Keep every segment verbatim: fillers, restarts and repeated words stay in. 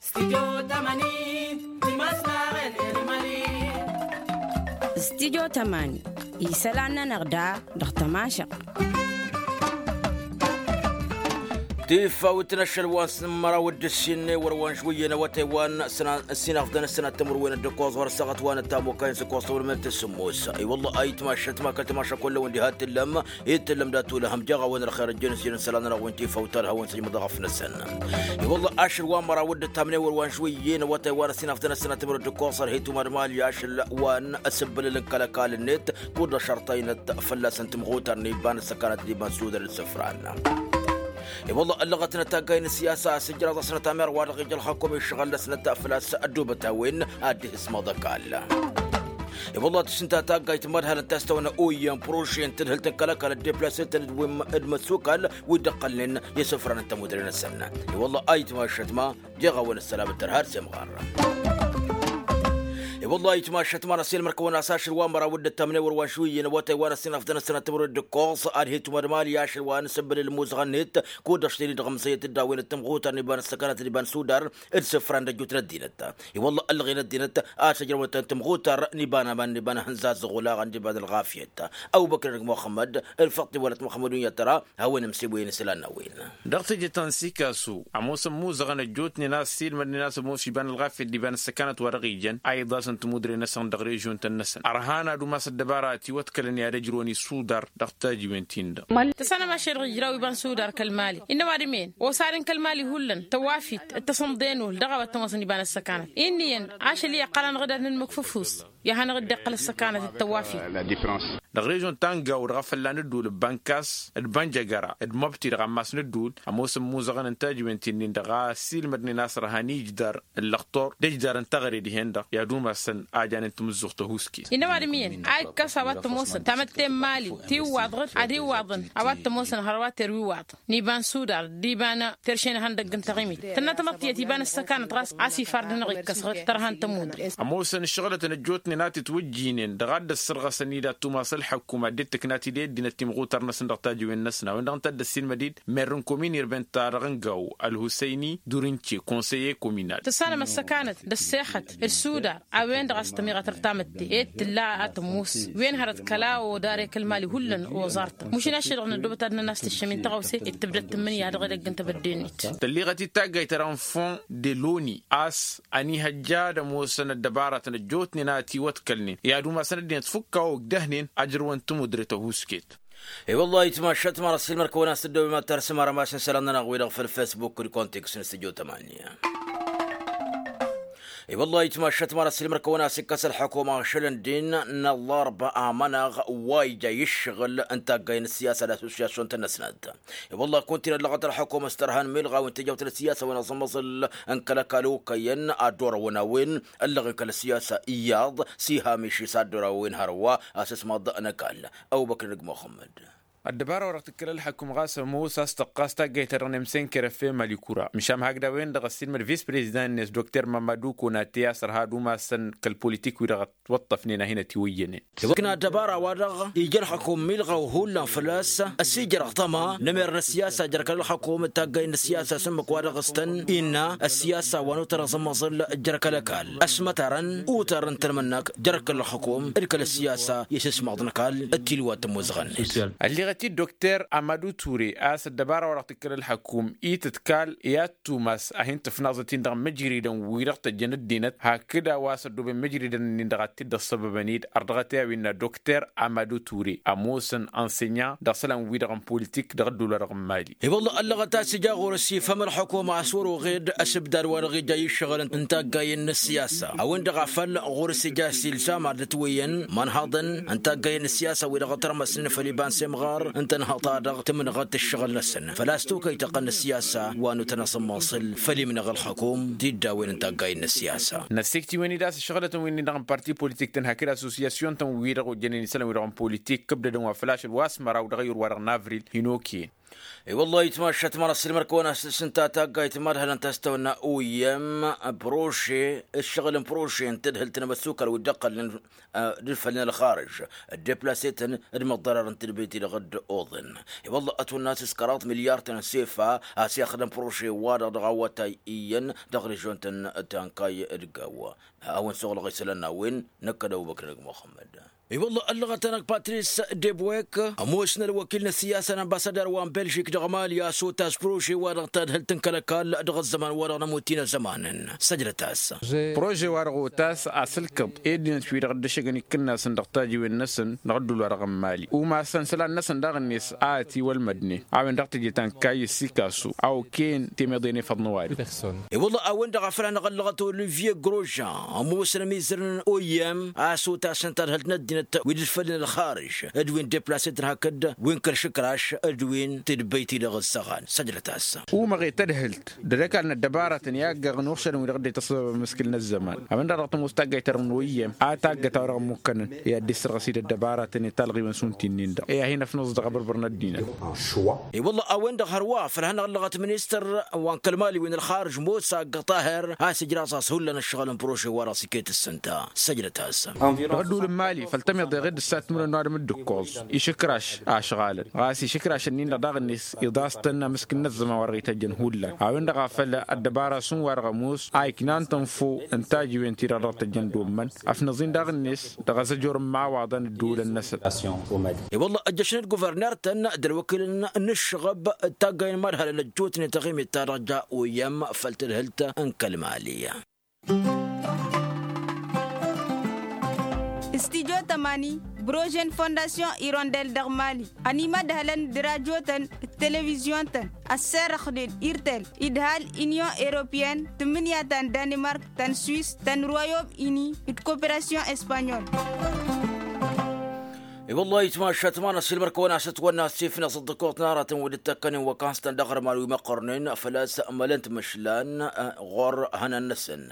Studyo tămani isălan-nănăɣ da dăɣ-tămašăɣt. Tifawt n-ašăl wa n-sǝmmăraw d-ǝssin wăr-wa n-žwǝyyăn awătay wa n-sănat tămurwen d-ǝkkoẓ ɣur-săɣăt wa n-ăttamukay n-sǝkkoẓ tăwălmel tǝssǝmmos. I-wălla ayǝtmašăt ma kăl-tămašăk wălla wăn diha t-tǝllăm. Itǝllăm dat-ulăhăm jeɣ-awăn ălxer ăjjăn s-ijăn isălan-nănăɣ wi n-tifawt talha wa n-săjmăḍ ɣăf-năsăn. I-wălla ašăl wa n-măraw dd-ăttamnen wăr-wa n-žwǝyyăn awătay wa n-ăssinăɣ tăn-ăssinăt timǝrǝd d-ǝkkoẓăr hi-tumad mali ašăl wa n-asǝbbǝlǝl n-kăl-ăkall-net kud-ăšărtăynăt fălla-săn tǝmɣutar n-iba n-ăssăkanăt d-iba n-sudăr d-isǝfran. I-wălla ăllăɣătnăt taggay n-siyasa a-s ǝjraẓ-asnăt amer wa dăɣ-ija ălxăkum išɣăl-năsnăt făl-a-s ăddubăt a-wen ad-dd-ihǝsmăḍ ăkall. I-wălla tǝsǝnta taggayt n-imădhal n-tastăwăn oyyan proše n-tǝdhǝlt n-kăl-ăkall dd-iplăsătăn d-wim d-imăssukal wi dd-ăqqălnen i-isǝfran n-tămudre-năsăn. I-wălla ayǝtmašăt ma jeɣ-awăn ăssălam d-tărha d-semɣar. I-wălla ayǝtmašăt ma n-ăsilmăr-kăwăn-as ašăl wa n-măraw dd-ăttamnen wăr-wa n-šuyyăn awătay wa n-ăssinăɣ tăn-ăssinăt timǝrǝd d-ǝkkoẓ ad-hi-tumad mali ašăl wa n-asǝbbǝlǝl n-imuzăɣăn-net kud-ăšten-dd ɣǝmsăyăt d-a-wen d-tǝmɣutar n-iba n-ăssăkanăt d-iba n-sudar d-isǝfran d-ăjjut n-ăddinăt. I-wălla ăllăɣen ăddinăt a-s ăjrăwăn-tăn tǝmɣutar n-iba n-aman n-iba n-ahǝnza ăzzuɣulaɣăn d-iba n-ălɣafyăt. Ăbubăkr n-muxămmăd ălfăṭṭi wăla t-muxămmăd unyătăra. Hawăn-imsibwăyăn isălan n-a-wen. Dăɣ-teje ta n-sikasu ămoosăn imuzăɣăn ăjjootnen a-s ăssiilmădnen a-s ămoos iba n-ălɣafyăt d-iba n-ăssăkanăt wa dăɣ-ijăn a iḍasăn timudre-năsăn dăɣ-režion-tăn-năsăn ărhan ad-umas ăddăbara ătiwăḍkălăn i-ad-ăjrăwăn isudar dăɣ-tajiwen-tin-dăɣ. Tăssanăm ašăl dăɣ-ijraw iba n-sudar kăl-mali innă ăwadǝm-en osadăn kăl-mali hullan tăwafit d-tăsǝmḍe n-uhl dăɣ-a-wa t-ămoosăn iba n-ăssăkanăt. Inn'-iyyăn ašăl i-iqqălăn ɣǝdad n-ǝmmǝk f-ǝfus i-ad-hanăɣ-dd-iqqăl ăssăkanăt d-tăwafit. Dăɣ-režion ta n-gawo dăɣ-afălla n-ădduul d-bankas d-bănjăgăra d-măbti dăɣ-ammas n-ădduul ămoosăn imuzăɣăn n-tajiwen ti-nin-dăɣ a ăssiilmădnen a-s ărhan ijdar ǝllăɣtor d-ijdar n-teɣăre dihen-dăɣ i-ad-umasăn a janen tamǝzzuɣt tăhuusket. Innă ăwadǝm iyyăn a ikkăs a-wa t-ămoosăn tamătte n-imali tiwwaḍ ɣǝd ad-iwwaḍăn a-wa t-ămoosăn hărwa terwiwaḍ n-iba n-sudar d-iba n-terše n-ihăndăgg n-taɣimit tănna tamăḍt tiyyăt iba n-ăssăkanăt ɣas a-s ifar-dăɣ-năɣ ikkăs ɣǝd tărha n-tămudre. Ămoosăn ǝššăɣǝlătăn ăjjootnen a titwǝjjinen dăɣ-a dd-ăssărɣăsăn-dd ad-tumas ălḥăkkum ad-dd-tǝknat-dd i-ăddinăt timɣutar-năsăn dăɣ-tajiwen-năsna a-wen-dăɣ ǝnta a dd-ăssiilmăd-dd merr n-komin irben-ta-dăɣ n-gawo ălhusăyni durince konseyer kominal. Tǝssanăm ăssăkanăt d-ăssexăt d-sudar a-wen-dăɣ a-s tămiɣătăr tamǝtte ed tǝlla a tămoos wen hărăt kăla odare kăl-mali hullan oẓar-tăn mušin ašăl-dăɣ n-ăddoobăt ad-nănastăššăm i-tăɣawse d-tǝbdăt tǝmmǝnǝya dăɣ-edăgg n-tebădde-net. Tălliɣăt-dd taggayt ta dăɣ-n fond de loni a-s ănihăjja ad-ămoosăn ăddăbaratăn ăjjootnen a ătiwăḍkălnen i-ad-umasăn ăddinăt fukk a ogdăhnen ajrăwăn tămudre tăhusket. I-wăllah ayǝtmašat ma n-ăssiilmăr-kăwăn-as tǝddobem ad-tarsǝm arămas n-isălan-nănăɣ-wi-dăɣ făll-fesbuk d-kontiks n-stujo tămanya. I-wăllah ayǝtmašat ma n-ăssiilmăr-kăwăn-as ikkăs ălḥukuma ašăl n-din n-ăllarba amănaɣ wa ija i-ǝššăɣǝl n-taggay n-ăssiyasa d-assosyasyon tăn-năsnat. I-wăllah kunta-in ăllăɣăt ălḥukuma s-tărha n-milɣawen tijawt n-ăssiyasa wa n-aẓǝmmăẓǝl n-kăl-ăkall okăyăn ad-dd-orăwăn a-wen ăllăɣen kăl-ăssiyasa iyyăḍ s-iha miši s-ad-dd-orăwăn hărwa asǝsmaḍ n-ăkall. Ăbubăkr n-ăgg muxămmăd. Ăddăbara wa dăɣ-tǝkkăl ălḥăkum ɣas ămoos a-s tăqqas taggayt-ta-dăɣ n-emsen kărăfe malikura măšan hakd a-wen-dăɣ ăssiilmăd vis-prezidant-net dokter mamadu konate a-s ărha ad-umasăn kăl-politik-wi-dăɣ ătwăṭṭăfnen a hin-ătiwăyyănen. Iwăkna ăddăbara-wa-dăɣ ija ălxăkum milɣaw hullan făl-a-s ăsijărăɣ tăma n-emer n-ăssiyasa jer-kăl-ălxăkum d-taggay n-ăssiyasa s-ǝmmǝk wa dăɣ-s tăn-innă ăssiyasa wa n-utărăẓ n-imăẓǝl jer-kăl-ăkall ăsmătarăn utarăn tălmǝnnak jer-kăl-ălxăkum d-kăl-ăssiyasa i-sǝsmaḍ n-ăkall d-tilwa tămozăɣăn-net. Ălliɣăt-dd dokter amadu ture a-s ăddăbara wa dăɣ-tǝkkăl ălxăkum itǝtkal i-ad-tumas a hin-tǝfnaẓăt-in dăɣ-imǝjridăn-wi-dăɣ tăjjăn ăddinăt hakd a-wa s-ăddooben imǝjridăn-nin-dăɣ ad-t-dd-ăṣṣăbăbăn-dd ărdăɣăt i-a-wen innă dokter amadu ture ămoosăn ănsenyant dăɣ-isălan-wi-dăɣ n-politik dăɣ-ădduul-wa-dăɣ n-mali. I-wălla ăllăɣăt a-s ija ɣur-s ifhăm ălxukuma a-s wăr-oɣed ăsǝbdad-wa-dăɣ ija i-ǝššăɣǝl n-taggayen n-ǝssiyasa a-wen-dăɣ a făl ɣur-s ija s-ilzam ad-dd-ătwăyyăn imănhăḍăn n-taggayen n-ǝssiyasa wi-dăɣ ătrămăsnen făll-iba n-semɣar n-tănhăḍt-ta-dăɣ tǝmnăɣăt ǝššăɣǝl-năsăn făl-a-s tokăy-tăqqăn n-ǝssiyasa wa n-utăn aẓǝmmăẓǝl făll-imnăɣ ălxăkum d-iddawen n-taggayen n-ǝssiyasa. Năssikt'-iwen-dd a-s ǝššăɣǝlătăn wi-dăɣ n-parti politik-tăn hakd asosiyasyon-tăn wi-dăɣ ojjănen isălan wi-dăɣ n-politik kǝbdădăn wa făl ašăl wa s-măraw dăɣ-ayǝr-wa-dăɣ n-avril hin-okăyăn. I-wăllah itmašat ma n-asǝlmăr kăwăn-asǝs ǝnta taggayt ma d-hălăn ta s-tawănna uyyăm proše ǝššăɣǝl n-proše n-tadhǝlt n-amăssukal wi dd-ăqqălnen d-fălnen ălxarǝj dd-eplasităn d-măḍḍărar n-tadbit-i-dăɣ dd-oḍăn. I-wăllah ătwănna s-s kăraḍ milyar-tăn n-sefa a-s i-axdăm proše-wa-dăɣ dăɣ-awătay iyyăn dăɣ-režion-tăn ta n-kayy d-gaw. A-wen suɣǝlăɣ isălan n-a-wen năkk d-ăbubăkr n-ăgg muxămmăd. I-wălla ăllăɣăt-anăɣ patris debwek ămoosnăl wăkil n-ăssiyasa n-ambassadăr wa n-belžik dăɣ-mali a-s otas prože-wa-dăɣ tadhǝlt n-kăl-ăkall dăɣ-ăzzăman-wa-dăɣ n-ămutin ăzzămanăn. Săjdăt-as. Prože-wa-dăɣ otas asǝlkǝḍ i-ăddinăt-wi-dăɣ dd-ǝššăgăn ikǝnnasăn dăɣ-tajiwen-năsăn dăɣ-ădduul-wa-dăɣ n-mali umasăn isălan-năsăn daɣ-net a ătiwălmădnen a-wen dăɣ-teje ta n-kayy ăssikasu a okăyăn temeḍe n-efăḍ n-ăwadǝm. I-wălla a-wen-dăɣ a făl hanăɣ-ăllăɣăt olivye grožan ămoosăn ămizăr n-oyăm a-s otasăn tadhǝlt n-ăddinăt wi dd-fălnen ălxarǝj d-wi n-deplasetăn hakd wi n-kăl-išǝkraš d-wi n-tidbăyt-i-dăɣ ǝssăɣan săjdăt-as. Umăɣ i-tadhǝlt d-ad-ăkall n-ăddăbaratăn i-aggăɣ n-uɣšădăn wi-dăɣ dd-e-tăṣṣăbăbăm iskǝl n-ăzzăman a-wen-dăɣ dăɣ-tămoos taggayt-ta-dăɣ n-oyăm a taggăt a-wa dăɣ-ămmukkănăn i-ad-dd-issărɣăs-dd ăddăbaratăn i-talɣiwen s-unti-nin-dăɣ i-ad-hin-ăfnăẓ dăɣ-abărbăr n-ăddinăt. I-wălla a-wen-dăɣ hărwa făl hanăɣ-ăllăɣăt ministăr wa n-kăl-mali wi n-ălxarǝj mosa ăggăṭaher a-s ijraẓ-as hullan ǝššăɣǝl n-proše-wa-dăɣ s-iket ǝssǝnta. Săjdăt-as. Dăɣ-ădduul n-mali făl tămiḍeɣ-dd ǝssatmǝrăn n-ăwadǝm dd-ǝkkoẓ išǝkraš a ăšɣalăn ɣas išǝkraš-ǝnnin-dăɣ daɣ-net iḍas-tăn amǝskǝn n-ăzzăman wa dăɣ-ităjjăn hullan a-wen-dăɣ a făl ăddăbara šund-wa-dăɣ ămoos a iknan tănfo n-tajiwen-ti-dăɣ dăɣ-tăjjăn d-ommăn ăfnăẓ-in daɣ-net dăɣ-azăjor n-imawaḍăn dd-ulăn-năsăn. I-wălla ăjjăšnen d-guverner-tăn d-ălwăkilăn n-ǝššăɣăb d-taggay n-imadhălăn ăjjootnen taɣimit-ta-dăɣ ja oyăm făll-tadhǝlt n-kăl-mali. Studyo tămani brože n-fondasyon irondel dăɣ-mali ănimădhălăn d-rajotăn d-televizyon-tăn ăsserăxnen irtel idhal inyon europeyăn tǝmmǝnǝya ta n-danimark ta n-swis ta n-royom ini d-koperasyon espanyol. I-wăllah itmašat ma n-ăsilmăr-kăwăn-asăt wănna s-ifnăẓ dd-ăkoḍ n-aratăn wi dd-tăkkănen wăkans-tăn dăɣ-ărman wi măqqărnen făl-a-s mălăn timǝšlan ɣur-ihănan-năsăn.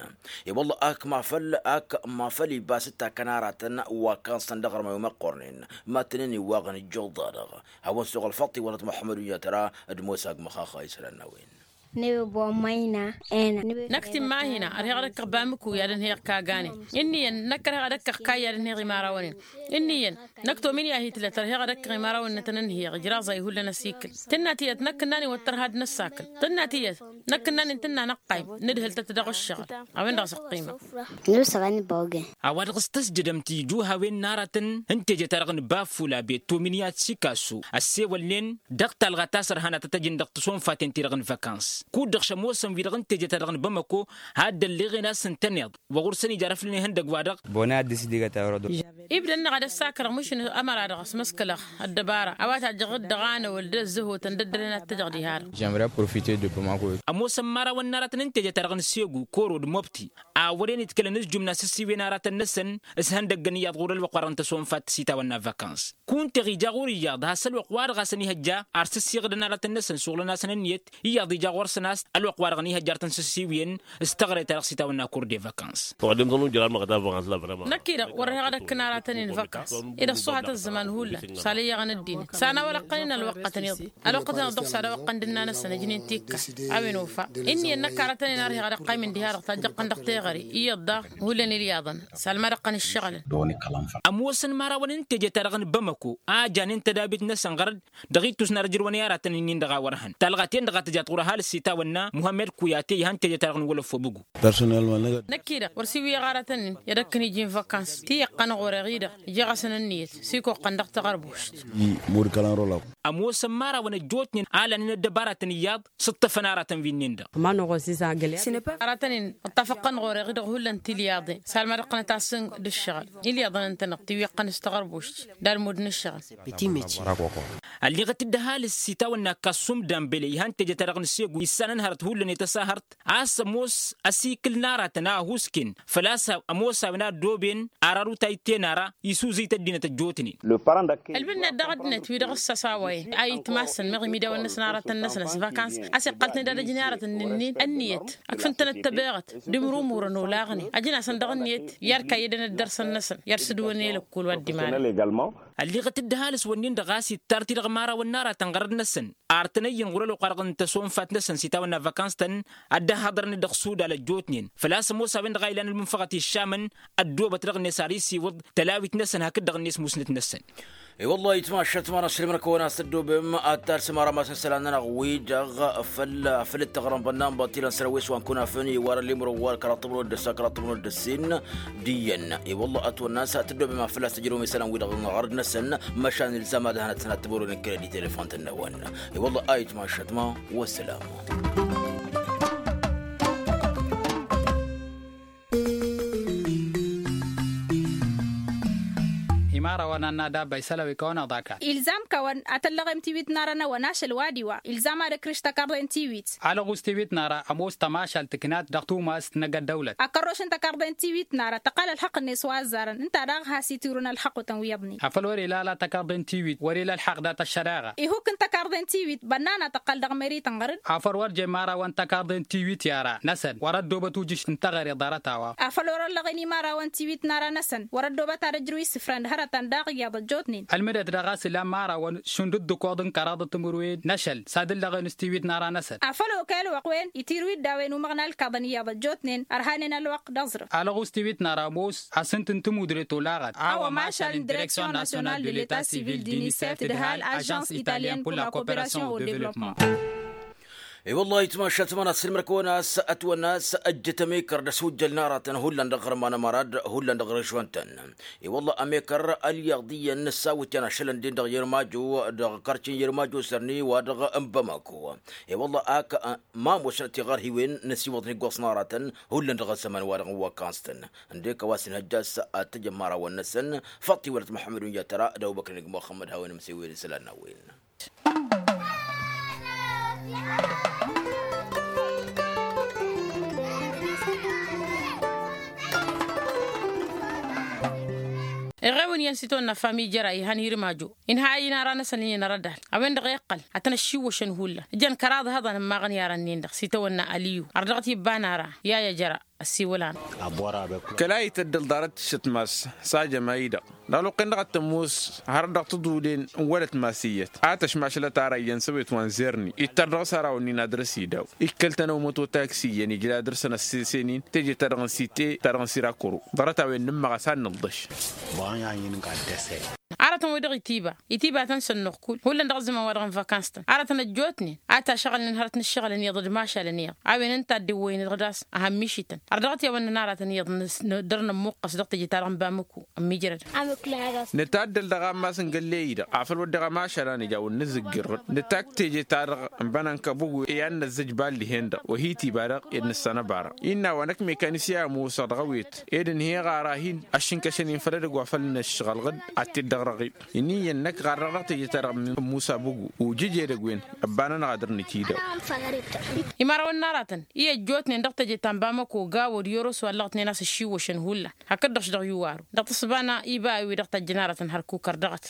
I-wăllah ak ma făl ak ma făl ibas dd-takkăn aratăn wăkans-tăn dăɣ-ărman wi măqqărnen ma tăn-ăniwwaɣăn ijjuḍ-da-dăɣ. Hawăn-suɣ ălfăṭṭ iwălăt muḥămmăd uyyăt ra d-mosa agmăxaxa isălan n-a-wen. Năkk timmahina ărheɣ ad-ăkkăɣ bamǝku i-ad-ănheɣ kaganen. Ǝnni iyyăn năkk ărheɣ ad-ăkkăɣ kayy i-ad-ănheɣ imărawăn-in. Ǝnni iyyăn năkk tomin i-ad-hi-tǝlăt ărheɣ ad-ăkkăɣ imărawăn-nătăn ǝnheɣ ijraẓ a ihullan ăsikǝl. Tǝnna tiyyăt năkk ǝnnan-in wăr tărha ad-nǝssakǝl. Tǝnna tiyyăt năkk ǝnnan-in tǝnna năqqayǝm nǝdhǝl-tăt dăɣ-ǝššăɣǝl. A-wen-dăɣ s-ăqqimăɣ. A-wa dăɣ-s tăsjădăm tijuhawen n-aratăn n-teje-ta-dăɣ n-bafula bet tomin i-ad-sikasu ăssewălnen dăɣ-talɣa ta s-ărhan ad-tăt-ăjǝn dăɣ-tisonfaten-ti-dăɣ n-văkans. Kud-dăɣ šămoosăn wi-dăɣ n-teje-ta-dăɣ n-bamăko had-ălleɣen a-s ǝntăneḍ wa ɣur-săn ija ar ăflǝnen ihăndăgg-wa-dăɣ. Ibda-năɣ ad-ăssakărăɣ mǝšǝn ămăra-dăɣ ăsmăskălăɣ ăddăbara a-wa tajjăɣ-dd dăɣ-anăwăl d-ăzzăhotăn d-ăddălăn ad-t-ăjăɣ diha-dăɣ. Ămoosăn imărawăn n-aratăn n-teje-ta-dăɣ n-segu koro d-mobti a wăren itkălăn s-jumna s-ǝssiwen aratăn-năsăn s-ihăndăggăn iyyăḍ ɣur-ălwăqq-wa-dăɣ n-tăsonfat s-itawănna văkans. Kunta iɣija ɣur-iyyăḍ has-ălwăqq-wa-dăɣ a-s ănihăjja ar s-ǝssiɣǝdăn aratăn-năsăn suɣǝlăn-asăn ǝnniyăt iyyăḍ ija ɣur-săn a-s ălwăqq-wa-dăɣ ănihăjja ar tăn-sǝssiwǝyăn s-teɣăre-ta-dăɣ s-itawănna kur de văkans. Năkk-i-dăɣ wăr-ăheɣ ad-ăkkăn aratăn-in văkans. I-dăɣ s-uhat ăzzăman hullan s-alăyyăɣăn ăddinăt s-anawăl ăqqăn-in ălwăqq-tăn-iḍen. Ălwăqq-tăn-iḍen s-ad-ăwăqqăn d-ǝnna-năsăn ǝjnen tikka. A-wen ofa ǝnniyăn năkk aratăn-in a ărheɣ ad-ăqqaymen diha-dăɣ tajjăɣ-tăn dăɣ-teɣăre iyyăḍ daɣ hullan ilyaḍăn. S-almad ăqqăn ǝššăɣǝlăn. Ămoosăn imărawăn n-teje-ta-dăɣ n-bamăko a janen tădabit-năsăn ɣărăd dăɣ-ittus n-ad-ǝjrǝwăn i-aratăn-in-dăɣ a wăr hăn talɣa-ten-dăɣ a tǝjat ɣur-ăhalǝs itawănna muhammed kuyate ihăn teje-ta-dăɣ n-wălăfobǝgu. Năkk-i-dăɣ wăr s-iwǝyăɣ aratăn-in i-ad-ăkkăn iji n-văkans ti iqqăn ɣur-eɣ-i-dăɣ. Ijeɣ-asăn ǝnniyăt s-ikoqqăn dăɣ-taɣărbošt. Ămoosăn imărawăn ăjjootnen a lanen ăddăbaratăn iyyăḍ s-ǝṭṭăfăn aratăn wi-nin-dăɣ. Aratăn-in ǝṭṭafăɣ-tăn ɣur-eɣ-i-dăɣ hullan tilyaḍen s-almad ăqqănăt-asăn d-ǝššăɣǝl ilyaḍăn ǝntăneḍ tiwweɣ-tăn s-taɣărbošt d-almud n-ǝššăɣǝl. Ălliɣăt-dd ăhalǝs s-itawănna kassum dambele ihăn teje-ta-dăɣ n-segu issanăn hărăt hullan i-tăsahărt a-s ămoos ăsikǝl n-aratăn a ăhusken făl-a-s ămoos a-wen a ăddooben ararut a iten ara isuzǝy-t ăddinăt ăjjootnen. Ălbǝnna-dd dăɣ-ăddinăt wi-dăɣ ǝssăsawăyăn a itmasăn meɣ imidawăn-năsăn aratăn-năsăn s-văkans a-s iqqăl-tăn-dd ad-ǝjǝn i-aratăn-nin-in ǝnniyăt ǝkfǝn-tănăt tăbeɣăt d-imrumurăn olaɣnen ăjǝn-asăn dăɣ-ǝnniyăt i-ad-kayyădăn ăddărsăn-năsăn i-ad-sǝdwăn i-lăkkol wa dd-imanăn. Ălliɣăt-dd ăhalǝs wănnin-dăɣ a-s ittar-t-i dăɣ-imărawăn n-aratăn ɣărăd-năsăn, ar tăn-ăyyăn ɣur-ălwăqq-wa-dăɣ n-tăsonfat-năsăn s-itawănna vakans-tăn. Ad-dd-ăhhăḍărăn-dd dăɣ-suda lăjjootnen făl-a-s ămoos a-wen-dăɣ a ilan ălmunfăɣăt iššamăn. Ăddoobăt dăɣ-net ar isiwǝḍ tălawit-năsăn hakd-dăɣ-net musnăt-năsăn. I-wălla-hi tmašat ma n-ašăl mărkăwăn a-s tăddoobem ad-talsăm ara masăn isălan-nănăɣ wi-dăɣ făll-afăl dd-tăɣrănbănna n-baṭilăn săr-a-wen s-wa n-kunafăn iwar ălimrăw wa kăraḍ tămrăwăt d-ăssa kăraḍ tămrăwăt d-ăssin. D-iyyăn i-wălla ătwănna a-s tăddoobem afăl a-s tăjrăwăm isălan wi-dăɣ n-ɣărăd-năsăn. Măšan ilzam ad-hănăt-săn ad-tămărwen n-kredit elefant-năwăn. I-wălla a itmašat ma. Wăssălam. Imărawăn ad-nadabba isălan wi kăwăn-aḍa kan. Ilzam-kăwăn ad-tăllăɣem tiwit n-ara-năwăn ašăl wa d-iwa ilzam ad-ǝkrǝš tăkarḍe n-tiwit. Alăɣus tiwit n-ara ămoos tămašalt tǝknat dăɣ-tumast n-egg ăddăwlăt. Akărroš n-tăkarḍe n-tiwit n-ara tăqqal ălxăqq-net wa ăzzarăn ǝnta daɣ has-itirǝwăn ălxăqq-wătăn wi iyyăḍnen. Afăl wăr-ila ala tăkarḍe n-tiwit wăr-ila ălxăqq dat-ăššăreɣa. Ihukk n-tăkarḍe n-tiwit bănnan ad-tăqqăl dăɣ-meri tănɣărǝd. Afăl wăr jen imărawăn tăkarḍe n-tiwit i-ara-năsăn wăr-ăddoobăt ujǝš n-teɣăre ḍarăt-a-wa. Afăl wăr-ăllăɣen imărawăn tiwit n-ara-năsăn wăr-ăddoobăt ad-ăjrǝw isǝfran d-hărătăn daɣ iyyăḍ ăjjootnen. Ălmǝdăt dăɣ-a-s ila imărawăn šund d-ǝkkoḍ n-kăraḍăt timǝrwen n-ašăl s-ad-ǝllăɣen s-tiwit n-ara-năsăn. Afăl okăy ălwăqq-wen itirǝw-dd a-wen umăɣna ǝlkaḍăn iyyăḍ ăjjootnen ărhanen ălwăqq d-aẓrǝf. Alăɣus tiwit n-ara ămoos asǝnt n-timudre tolaɣăt a-wa mašal n-direksyon nasyonal de leta sivil d-inisef tǝdhal ažans italyen pur la koperasyon o devlopman. I-wăllah itmašat ma n-ad-sǝlmăr kăwăn-as ătwănna a-s ăjjăt ămekăr d-ăswǝjjăl n-aratăn hullan dăɣ-iɣrǝm anămăra d-hullan dăɣ-režwăn-tăn. I-wăllah ămekăr ălyăḍ iyyăn n-ăssawǝtyan ašălăn-den dăɣ-yermajo dăɣ-karci n-yermajo sărni wa dăɣ-n bamako. I-wăllah ak ma ămoosnăt tiɣărhiwen n-ăsiwăḍăn iggoẓ n-aratăn hullan dăɣ-ăzzăman wa dăɣ-n wakans-tăn. Ǝndek a-wa s-inhăjja a-s ad-t-ăjămmarawăn-năsăn. Faḍt-iwălăt muḥămmăd unja tăra d-ăbubăkr n-igg muxămmăd hawăn-imsewel isălan n-a-wen. Iɣewăn iyyăn s-itwănna fami jăra ihan irmajo inha a-ina ara-năsăn iyyăn arădal a-wen-dăɣ iqqăl ad-tăn-ăššiwwăšăn hullan ǝjăn kăraḍ ihăḍăn ǝmmaɣăn i-arăn-nin-dăɣ s-itawănna aliyu ar dăɣ-t ibba n-ara. Yaya jăra ăssiwăl-anăɣ. Kăla ităddăl ḍarăt tǝššăt mass s-ajăm a-i-dăɣ dăɣ-luqqen-dăɣ ad-tămoos har dăɣ-tăḍulen n-wălăt mass iyyăt a tăšmašlăt ara iyyăn s-ăwet wa n-zerni ittăr dăɣ-s ara wănnin ad-dăr-s idaw. Ikkăl-tăn ăwmăt otaks iyyăn ijla dăr-săn ăssesăn-in teje-ta-dăɣ n-site ta-dăɣ n-sirakuru ḍarăt-a-wen nǝmmăɣ a-s ad-nǝḍḍăš. Aratăn-wi-dăɣ itiba itiba-tăn sănnuɣ kull hullan dăɣ-ăzzăman wa dăɣ-n vakans-tăn aratăn ăjjootnen a tašăɣǝlnen hărăt n-ǝššăɣǝlăn iyyăḍ d-imašalăn iyyăḍ. A-wen ǝnta a dd-iwwăynen dăɣ-das a hămmišităn har dăɣ-t i-a-wăn nănăratăn iyyăḍ. Dăr-nămmuqqăs dăɣ-teje-ta-dăɣ n-bamǝku ămmiijrădăn. Nǝtaddăl dăɣ-ammas n-gălle-i-dăɣ afăl wădden ămašal a nǝja wăr nǝzǝggǝrrăd nǝtakk teje-ta-dăɣ n-bănănkăbug i-ad-năzzăj ballihen-dăɣ wa hi-tiba-dăɣ ed nǝssanăba-dăɣ. Innă wa năkk mekanisye a ămoosăɣ dăɣ-ewet ed ǝnhăyăɣ ara hin-ăššǝnkăšăn-in făll-edăgg wa făl nǝššăɣǝlɣǝd ad-t-dd-ăɣrăɣ-dd. Ǝnni iyyăn năkk ɣar dăɣ-dăɣ teje-ta-dăɣ n-musa băgu ujǝj edăgg-wen ăbba-nănăɣ a dăr-nǝtidăw. Imărawăn n-aratăn i-ăjjootnen dăɣ-teje ta n-bamăko gawo d-yoros wa ǝllăɣătnen a-s ǝššiwwăšăn hullan hakd-dăɣ-š dăɣ-yuwaru dăɣ-tǝssǝba n-iba a-wi-dăɣ tajjăn aratăn hărkukăr dăɣ-t.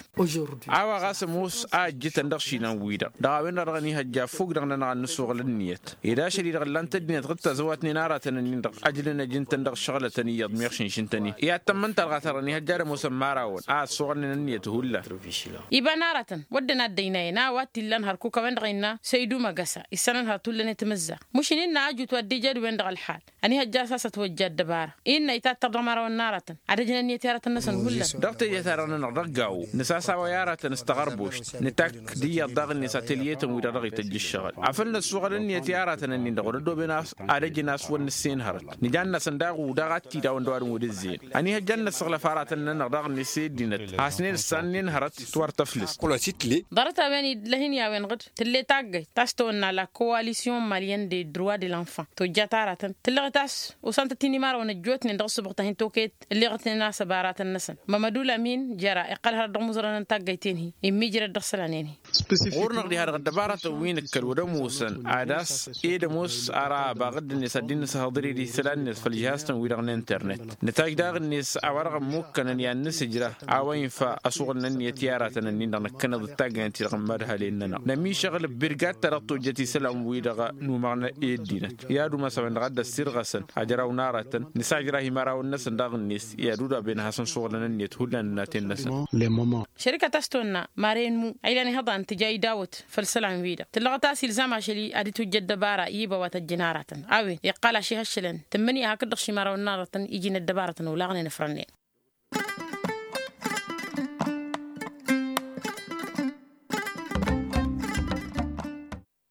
A-wa ɣas ămoos a ăjjǝtăn dăɣ-išilan-wi-dăɣ dăɣ-a-wen-dăɣ dăɣ-ănihăjja ăffuug-dăɣ-nănăɣ ad-nǝssuɣǝl ǝnniyăt ed ašăl-i-dăɣ ǝllan-t ăddinăt ɣǝd tazăwat-nen aratăn-ǝnnin-dăɣ ăjlăn ăjǝn-tăn dăɣ-ǝššăɣǝlătăn iyyăḍ meɣ šǝnšǝn-tăn-in i-ad-tămmăn talɣa ta-dăɣ ănihăjja ad-ămoosăn imărawăn a ăssuɣălnen ǝnniyăt hullan. Iba n-aratăn wădden a dd-ăynayăn a-wa t-illan hărkuk a-wen-dăɣ innă săydu măgăsa issănăn hărăt hullan i-timǝzzaɣt mušin innă ajut wa dd-ija d-wen-dăɣ ălxal. Ănihăjja a-s a-s ătwăjja ăddăbara innă itattar dăɣ-imărawăn n-aratăn ad-ăjǝn ǝnniyăt i-aratăn-năsăn hullan. Dăɣ-teje-ta-dăɣ-nănăɣ dăɣ-gawo nǝsasawăy aratăn s-taɣărbošt nǝtakk d-iyyăḍ daɣ-net atelye-tăn-wi-dăɣ dăɣ-ităjj ǝššăɣǝl afăl năssuɣăl ǝnniyăt i-aratăn-ǝnnin-dăɣ wăr-ăddoben a-s ad-ăjǝn a-s wăr nǝssen hărăt. Nǝjan-năsăn daɣ udaɣ ad-t-idawăn dăɣ-wa dăɣ-n wăr-ǝzzeyăn ănihăjja ad-năssuɣǝlăf aratăn-nănăɣ daɣ-net i-ăddinăt a hasnen ǝssannen hărăt. Tiwăr tăflǝst. Ḍarăt-a-wen idlăh-in i-a-wen-dăɣ tǝlle taggayt ta s-tawănna la coalision malyen de droit de l'enfant tojjat aratăn tǝllăɣet a-s osăn-tăt-in imărawăn ăjjootnen dăɣ-ǝssǝbɣǝt a hin-tokăyăt ǝlleɣătnen a-s ăbaratăn-năsăn. Mămădul amin jăra iqqăl hărăt dăɣ-imuzărăn n-taggayt-en-hi immijrăd dăɣ-isălan-en-hi. Ɣur-năɣ diha-dăɣ ăddăbaratăn wi nǝkkăl wăr ămoosăn ad-ass ed ămoos ara abaɣ-dd-net ad-dd-inǝshăḍăr-dd isălan-net făll-žihaz-tăn-wi-dăɣ n-internet. Nǝtajj daɣ-net a-wa-dăɣ ămmukkănăn i-ad-nǝsǝjra a-wa infa ăsuɣǝl-nănnet i-aratăn-ǝnnin-dăɣ năkkăneḍ d-taggaynt-ti-dăɣ n-imadhalen-nănăɣ nămišăɣ ǝlbirgat ta dăɣ-tojjăt isălan-wi-dăɣ număɣnă i-ăddinăt. I-ad-umas a-wen-dăɣ a dd-ăssirɣăsăn ajraw n-aratăn nǝsajrah imărawăn-năsăn daɣ-net i-ad-udaben ad-hasăn-suɣǝlăn-net hullan ănnaten-năsăn. Šărikăt a-s tonna maren mu a ilan ihăḍan tǝja idawăt făll-isălan-wi-dăɣ tǝllăɣăt a-s ilzam ašăl-i ad-itwǝjja ăddăbara i-iba wa tăjjăn aratăn a-wen iqqal ašihăššălăn tǝmmǝnǝya hakd-dăɣ šimarawăn n-aratăn iji n-ăddăbaratăn olaɣnen ǝfrănnen.